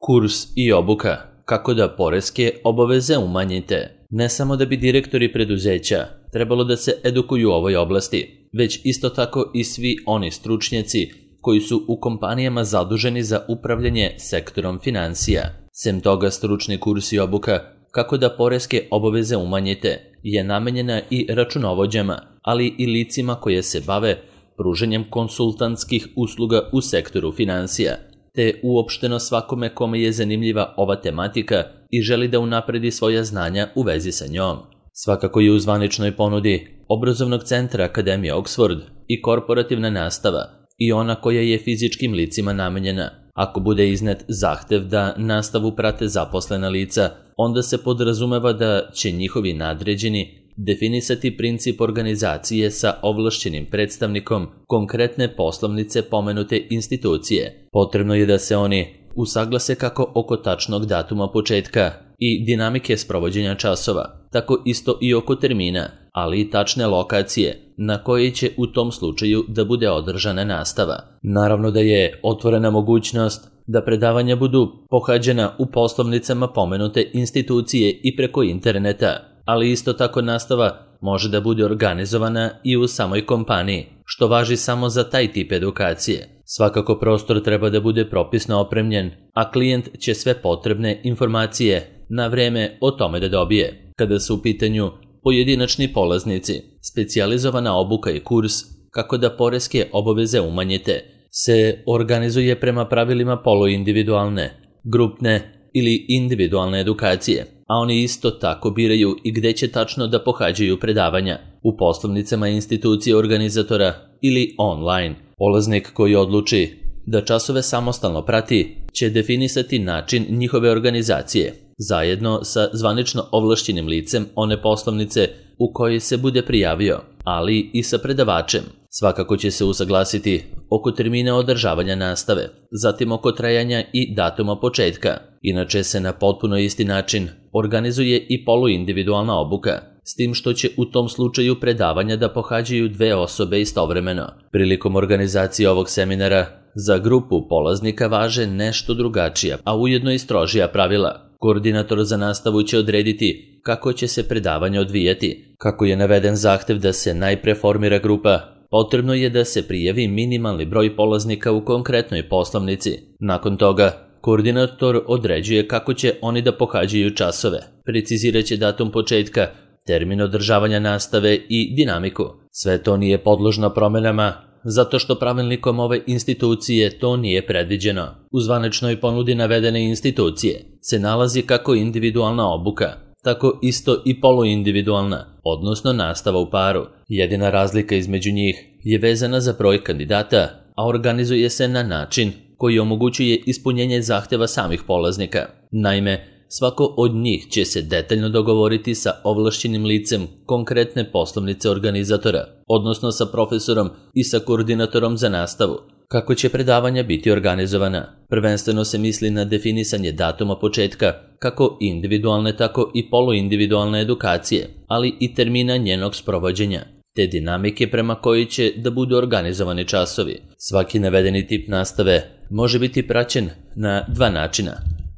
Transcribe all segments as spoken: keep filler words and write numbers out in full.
Kurs i obuka. Kako da poreske obaveze umanjite. Ne samo da bi direktori preduzeća trebalo da se edukuju u ovoj oblasti, već isto tako i svi oni stručnjaci koji su u kompanijama zaduženi za upravljanje sektorom financija. Sem toga, stručni kurs i obuka kako da poreske obaveze umanjite je namenjena i računovođama, ali i licima koje se bave pruženjem konsultantskih usluga u sektoru financija, te uopšteno svakome kome je zanimljiva ova tematika i želi da unapredi svoja znanja u vezi sa njom. Svakako je u zvaničnoj ponudi obrazovnog centra Akademije Oxford i korporativna nastava i ona koja je fizičkim licima namenjena. Ako bude iznet zahtev da nastavu prate zaposlena lica, onda se podrazumeva da će njihovi nadređeni definisati princip organizacije sa ovlašćenim predstavnikom konkretne poslovnice pomenute institucije. Potrebno je da se oni usaglase kako oko tačnog datuma početka i dinamike sprovođenja časova, tako isto i oko termina, ali i tačne lokacije na kojoj će u tom slučaju da bude održana nastava. Naravno da je otvorena mogućnost da predavanja budu pohađena u poslovnicama pomenute institucije i preko interneta, ali isto tako nastava može da bude organizovana i u samoj kompaniji, što važi samo za taj tip edukacije. Svakako prostor treba da bude propisno opremljen, a klijent će sve potrebne informacije na vreme o tome da dobije. Kada su u pitanju pojedinačni polaznici, specijalizovana obuka i kurs kako da poreske obaveze umanjite se organizuje prema pravilima poluindividualne, grupne ili individualne edukacije, a oni isto tako biraju i gde će tačno da pohađaju predavanja, u poslovnicama institucije organizatora ili online. Polaznik koji odluči da časove samostalno prati će definisati način njihove organizacije, zajedno sa zvanično ovlašćenim licem one poslovnice u kojoj se bude prijavio, ali i sa predavačem. Svakako će se usaglasiti oko termina održavanja nastave, zatim oko trajanja i datuma početka. Inače se na potpuno isti način organizuje i poluindividualna obuka, s tim što će u tom slučaju predavanja da pohađaju dve osobe istovremeno. Prilikom organizacije ovog seminara za grupu polaznika važe nešto drugačija, a ujedno i strožija pravila. Koordinator za nastavu će odrediti kako će se predavanje odvijati. Kako je naveden zahtev da se najpre formira grupa, potrebno je da se prijavi minimalni broj polaznika u konkretnoj poslovnici. Nakon toga, koordinator određuje kako će oni da pohađaju časove, precizirat će datum početka, termin održavanja nastave i dinamiku. Sve to nije podložno promenama, zato što pravilnikom ove institucije to nije predviđeno. U zvaničnoj ponudi navedene institucije se nalazi kako individualna obuka, tako isto i poluindividualna, odnosno nastava u paru. Jedina razlika između njih je vezana za broj kandidata, a organizuje se na način koji omogućuje ispunjenje zahteva samih polaznika. Naime, svako od njih će se detaljno dogovoriti sa ovlašćenim licem konkretne poslovnice organizatora, odnosno sa profesorom i sa koordinatorom za nastavu. Kako će predavanja biti organizovana? Prvenstveno se misli na definisanje datuma početka, kako individualne, tako i poluindividualne edukacije, ali i termina njenog sprovođenja, te dinamike prema kojoj će da budu organizovani časovi. Svaki navedeni tip nastave može biti praćen na dva načina,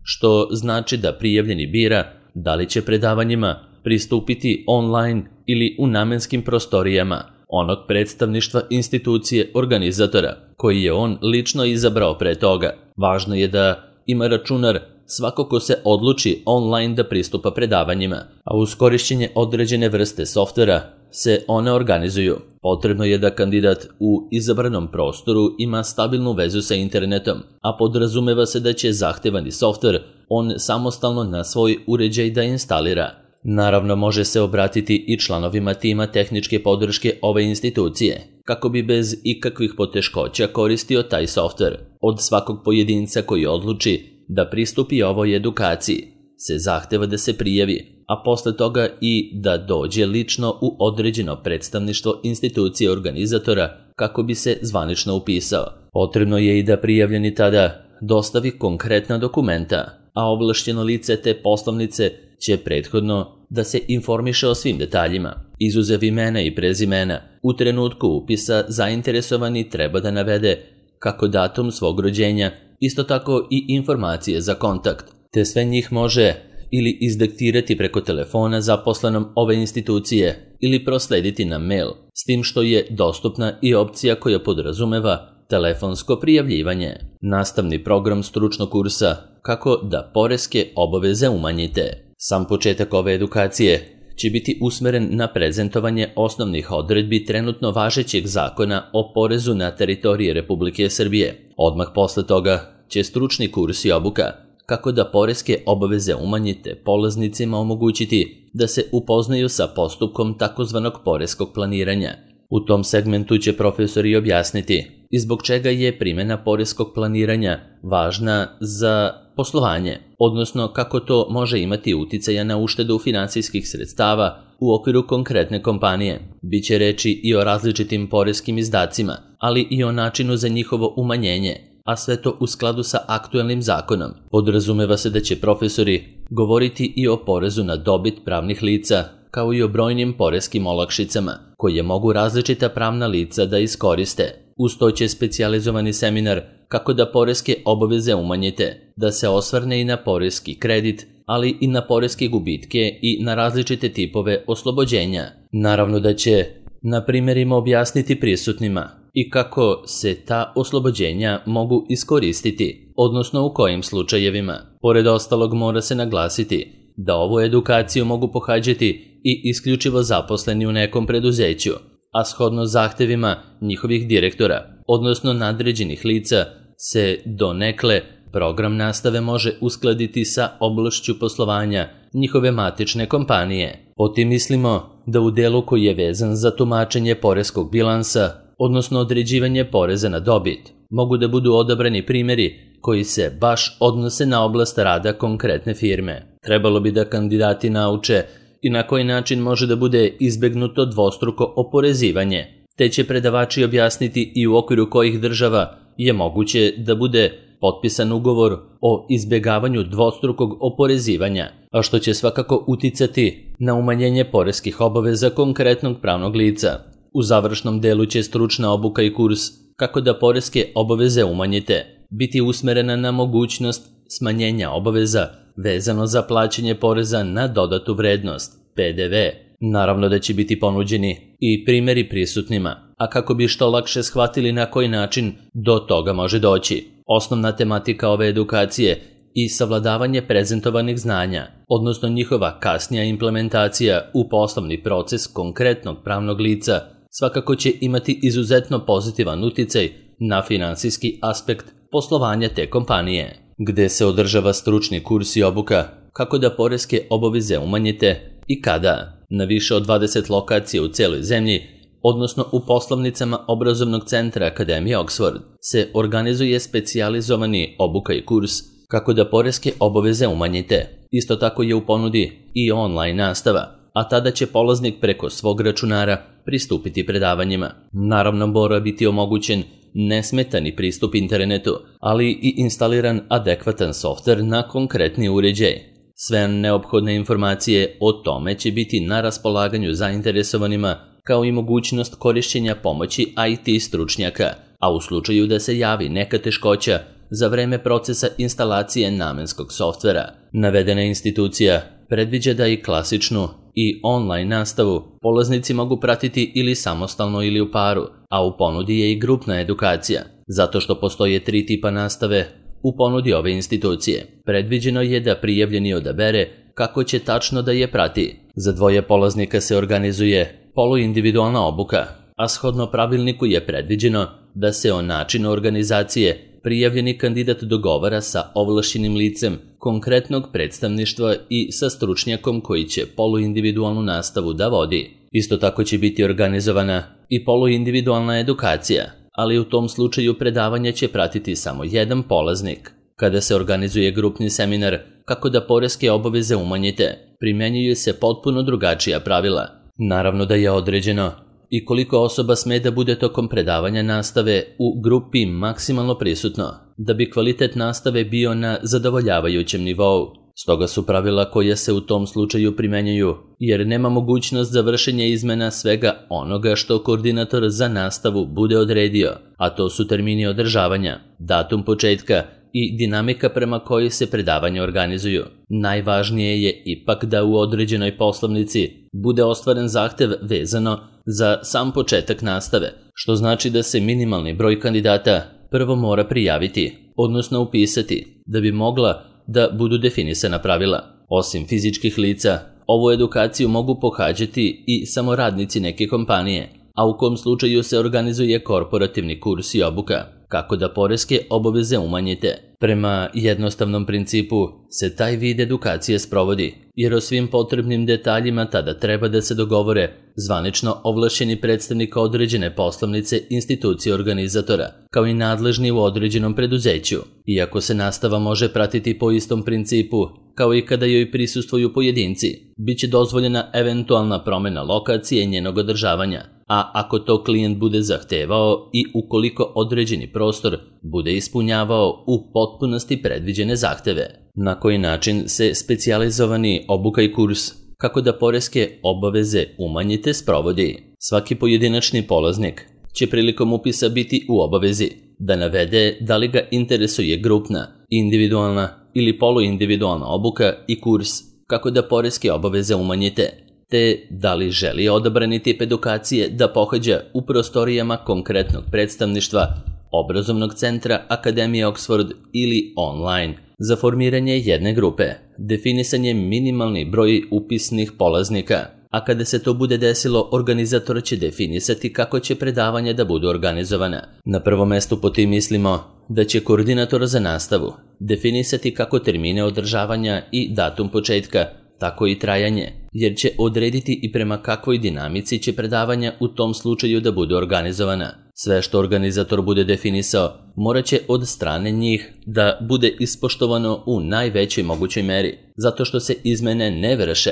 što znači da prijavljeni bira da li će predavanjima pristupiti online ili u namenskim prostorijama onog predstavništva institucije organizatora, koji je on lično izabrao pre toga. Važno je da ima računar svako ko se odluči online da pristupa predavanjima, a uz korišćenje određene vrste softvera se one organizuju. Potrebno je da kandidat u izabranom prostoru ima stabilnu vezu sa internetom, a podrazumeva se da će zahtevani softver on samostalno na svoj uređaj da instalira. Naravno, može se obratiti i članovima tima tehničke podrške ove institucije, kako bi bez ikakvih poteškoća koristio taj softver. Od svakog pojedinca koji odluči da pristupi ovoj edukaciji se zahteva da se prijavi, a posle toga i da dođe lično u određeno predstavništvo institucije organizatora kako bi se zvanično upisao. Potrebno je i da prijavljeni tada dostavi konkretna dokumenta, a ovlašćeno lice te poslovnice će prethodno da se informiše o svim detaljima. Izuzev imena i prezimena, u trenutku upisa zainteresovani treba da navede kako datum svog rođenja isto tako i informacije za kontakt, te sve njih može ili izdiktirati preko telefona zaposlenom ove institucije ili proslediti na mail, s tim što je dostupna i opcija koja podrazumeva telefonsko prijavljivanje. Nastavni program stručnog kursa Kako da poreske obaveze umanjite. Sam početak ove edukacije će biti usmeren na prezentovanje osnovnih odredbi trenutno važećeg zakona o porezu na teritoriji Republike Srbije. Odmah posle toga će stručni kurs i obuka Kako da poreske obaveze umanjite polaznicima omogućiti da se upoznaju sa postupkom takozvanog poreskog planiranja. U tom segmentu će profesori objasniti i zbog čega je primjena poreskog planiranja važna za poslovanje, odnosno kako to može imati uticaja na uštedu finansijskih sredstava u okviru konkretne kompanije. Biće reči i o različitim poreskim izdacima, ali i o načinu za njihovo umanjenje, a sve to u skladu sa aktuelnim zakonom. Podrazumeva se da će profesori govoriti i o porezu na dobit pravnih lica, kao i o brojnim poreskim olakšicama, koje mogu različita pravna lica da iskoriste. Uz to će specijalizovani seminar Kako da poreske obaveze umanjite, da se osvrne i na poreski kredit, ali i na poreske gubitke i na različite tipove oslobođenja. Naravno da će na primjerima objasniti prisutnima i kako se ta oslobođenja mogu iskoristiti, odnosno u kojim slučajevima. Pored ostalog mora se naglasiti da ovu edukaciju mogu pohađati i isključivo zaposleni u nekom preduzeću, a shodno zahtevima njihovih direktora, odnosno nadređenih lica, se donekle program nastave može uskladiti sa oblašću poslovanja njihove matične kompanije. Potim mislimo da u delu koji je vezan za tumačenje poreskog bilansa, odnosno određivanje poreza na dobit, mogu da budu odabrani primjeri koji se baš odnose na oblast rada konkretne firme. Trebalo bi da kandidati nauče i na koji način može da bude izbegnuto dvostruko oporezivanje, te će predavači objasniti i u okviru kojih država je moguće da bude potpisan ugovor o izbjegavanju dvostrukog oporezivanja, a što će svakako uticati na umanjenje poreskih obaveza konkretnog pravnog lica. U završnom delu će stručna obuka i kurs Kako da poreske obaveze umanjite biti usmerena na mogućnost smanjenja obaveza vezano za plaćanje poreza na dodatu vrednost, P D V. Naravno da će biti ponuđeni i primjeri prisutnima, a kako bi što lakše shvatili na koji način do toga može doći. Osnovna tematika ove edukacije i savladavanje prezentovanih znanja, odnosno njihova kasnija implementacija u poslovni proces konkretnog pravnog lica, svakako će imati izuzetno pozitivan uticaj na finansijski aspekt poslovanja te kompanije. Gde se održava stručni kurs i obuka Kako da poreske obaveze umanjite i kada? Na više od dvadeset lokacija u celoj zemlji, odnosno u poslovnicama obrazovnog centra Akademije Oxford, se organizuje specijalizovani obuka i kurs Kako da poreske obaveze umanjite. Isto tako je u ponudi i online nastava, a tada će polaznik preko svog računara pristupiti predavanjima. Naravno mora biti omogućen nesmetani pristup internetu, ali i instaliran adekvatan softver na konkretni uređaj. Sve neophodne informacije o tome će biti na raspolaganju zainteresovanima, kao i mogućnost korišćenja pomoći I T stručnjaka, a u slučaju da se javi neka teškoća za vreme procesa instalacije namenskog softvera. Navedena institucija predviđa da i klasičnu i online nastavu polaznici mogu pratiti ili samostalno ili u paru, a u ponudi je i grupna edukacija. Zato što postoje tri tipa nastave u ponudi ove institucije, predviđeno je da prijavljeni odabere kako će tačno da je prati. Za dvoje polaznika se organizuje poluindividualna obuka, a shodno pravilniku je predviđeno da se o načinu organizacije prijavljeni kandidat dogovara sa ovlašćenim licem konkretnog predstavništva i sa stručnjakom koji će poluindividualnu nastavu da vodi. Isto tako će biti organizovana i poluindividualna edukacija, ali u tom slučaju predavanje će pratiti samo jedan polaznik. Kada se organizuje grupni seminar Kako da poreske obaveze umanjite, primjenjuju se potpuno drugačija pravila. Naravno da je određeno i koliko osoba sme da bude tokom predavanja nastave u grupi maksimalno prisutno, da bi kvalitet nastave bio na zadovoljavajućem nivou. Stoga su pravila koja se u tom slučaju primenjuju, jer nema mogućnost za vršenje izmena svega onoga što koordinator za nastavu bude odredio, a to su termini održavanja, datum početka i dinamika prema kojoj se predavanja organizuju. Najvažnije je ipak da u određenoj poslovnici bude ostvaren zahtev vezano za sam početak nastave, što znači da se minimalni broj kandidata prvo mora prijaviti, odnosno upisati, da bi mogla da budu definisana pravila. Osim fizičkih lica, ovu edukaciju mogu pohađati i samo radnici neke kompanije, a u kom slučaju se organizuje korporativni kurs i obuka, kako da poreske obaveze umanjite. Prema jednostavnom principu se taj vid edukacije sprovodi, jer o svim potrebnim detaljima tada treba da se dogovore zvanično ovlašćeni predstavnik određene poslovnice institucije organizatora, kao i nadležni u određenom preduzeću. Iako se nastava može pratiti po istom principu, kao i kada joj prisustvuju pojedinci, bit će dozvoljena eventualna promjena lokacije njenog održavanja, a ako to klijent bude zahtevao i ukoliko određeni prostor bude ispunjavao u potpunosti predviđene zahteve. Na koji način se specijalizovani obuka i kurs kako da poreske obaveze umanjite sprovodi? Svaki pojedinačni polaznik će prilikom upisa biti u obavezi da navede da li ga interesuje grupna, individualna ili poluindividualna obuka i kurs kako da poreske obaveze umanjite, te da li želi odabrani tip edukacije da pohađa u prostorijama konkretnog predstavništva, obrazovnog centra Akademije Oxford ili online. Za formiranje jedne grupe definisan je minimalni broj upisnih polaznika, a kada se to bude desilo, organizator će definisati kako će predavanja da budu organizovana. Na prvom mestu po tim mislimo da će koordinator za nastavu definisati kako termine održavanja i datum početka, tako i trajanje, jer će odrediti i prema kakvoj dinamici će predavanja u tom slučaju da budu organizovana. Sve što organizator bude definisao morat će od strane njih da bude ispoštovano u najvećoj mogućoj meri, zato što se izmene ne vrše.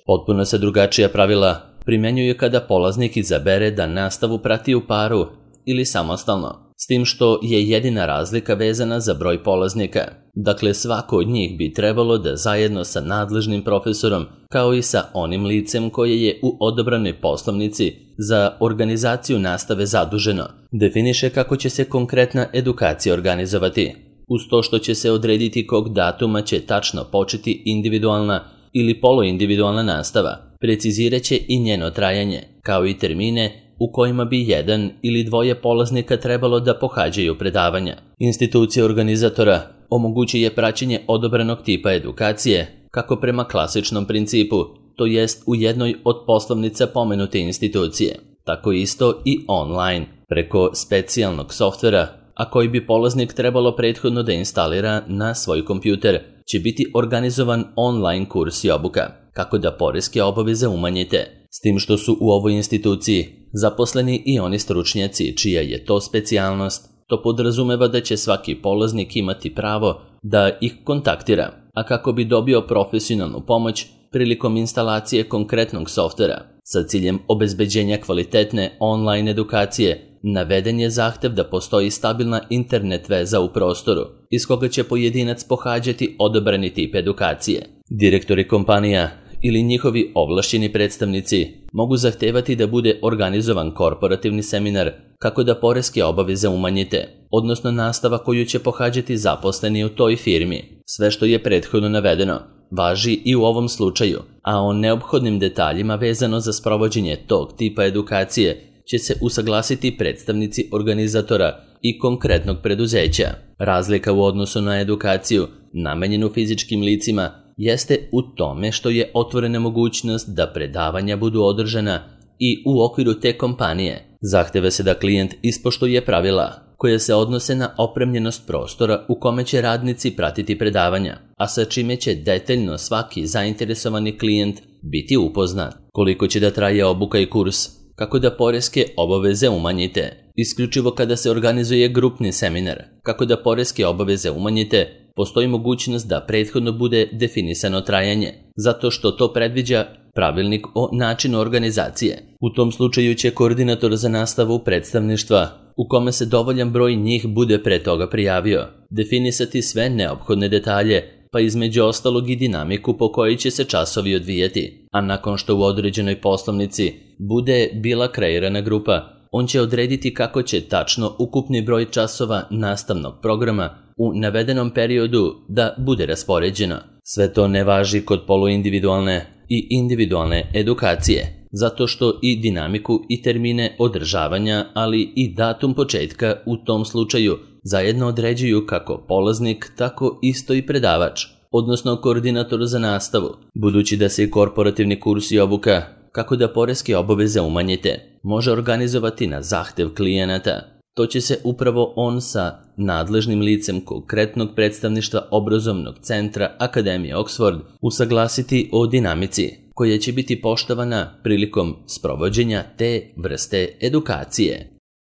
Potpuno se drugačija pravila primenjuju kada polaznik izabere da nastavu prati u paru ili samostalno, s tim što je jedina razlika vezana za broj polaznika. Dakle, svako od njih bi trebalo da zajedno sa nadležnim profesorom, kao i sa onim licem koje je u odabranoj poslovnici za organizaciju nastave zaduženo, definiše kako će se konkretna edukacija organizovati, uz to što će se odrediti kog datuma će tačno početi individualna ili poluindividualna nastava, precizirat će i njeno trajanje, kao i termine u kojima bi jedan ili dvoje polaznika trebalo da pohađaju predavanja. Institucija organizatora omogućuje praćenje odabranog tipa edukacije, kako prema klasičnom principu, to jest u jednoj od poslovnica pomenute institucije, tako isto i online, preko specijalnog softvera, a koji bi polaznik trebalo prethodno da instalira na svoj kompjuter, će biti organizovan online kurs i obuka, kako da poreske obaveze umanjite, s tim što su u ovoj instituciji zaposleni i oni stručnjaci čija je to specijalnost. To podrazumeva da će svaki polaznik imati pravo da ih kontaktira, a kako bi dobio profesionalnu pomoć prilikom instalacije konkretnog softvera sa ciljem obezbeđenja kvalitetne online edukacije, naveden je zahtev da postoji stabilna internet veza u prostoru iz koga će pojedinac pohađati odabrani tip edukacije. Direktori kompanija ili njihovi ovlašćeni predstavnici mogu zahtevati da bude organizovan korporativni seminar kako da poreske obaveze umanjite, odnosno nastava koju će pohađati zaposleni u toj firmi. Sve što je prethodno navedeno važi i u ovom slučaju, a o neophodnim detaljima vezano za sprovođenje tog tipa edukacije će se usaglasiti predstavnici organizatora i konkretnog preduzeća. Razlika u odnosu na edukaciju namenjenu fizičkim licima jeste u tome što je otvorena mogućnost da predavanja budu održana i u okviru te kompanije. Zahteva se da klijent ispoštuje pravila koje se odnose na opremljenost prostora u kome će radnici pratiti predavanja, a sa čime će detaljno svaki zainteresovani klijent biti upoznat. Koliko će da traje obuka i kurs, kako da poreske obaveze umanjite, isključivo kada se organizuje grupni seminar, kako da poreske obaveze umanjite, postoji mogućnost da prethodno bude definisano trajanje, zato što to predviđa pravilnik o načinu organizacije. U tom slučaju će koordinator za nastavu predstavništva, u kome se dovoljan broj njih bude pre toga prijavio, definisati sve neophodne detalje, pa između ostalog i dinamiku po kojoj će se časovi odvijati, a nakon što u određenoj poslovnici bude bila kreirana grupa, on će odrediti kako će tačno ukupni broj časova nastavnog programa u navedenom periodu da bude raspoređeno. Sve to ne važi kod poluindividualne i individualne edukacije, zato što i dinamiku i termine održavanja, ali i datum početka u tom slučaju zajedno određuju kako polaznik, tako isto i predavač, odnosno koordinator za nastavu, budući da se i korporativni kurs i obuka kako da poreske obaveze umanjite može organizovati na zahtev klijenata. To će se upravo on sa nadležnim licem konkretnog predstavništva obrazovnog centra Akademije Oxford usaglasiti o dinamici koja će biti poštovana prilikom sprovođenja te vrste edukacije.